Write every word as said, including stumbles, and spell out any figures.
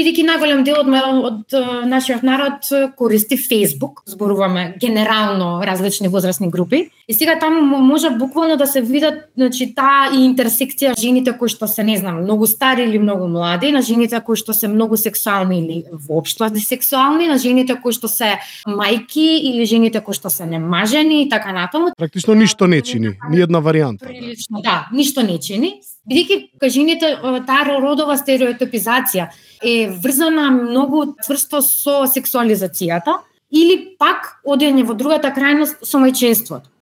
бидејќи најголем дел од, од нашиот народ користи Facebook, зборуваме генерално различни возрастни групи, и сега таму може буквално да се видат, значи, таа и интерсекција жените кои што се, не знам, многу стари или многу млади, на жените кои што се многу сексуални или воопшто сексуални, на жените кои што се мајки или жените кои што се немажени и така натаму. Практично ништо не чини, ни една варијанта. Прилично, да, ништо не чини. Бидејќи кај жените таа родова стереотипизација е врзана многу цврсто со сексуализацијата или пак одење во другата крајност со мајчинството.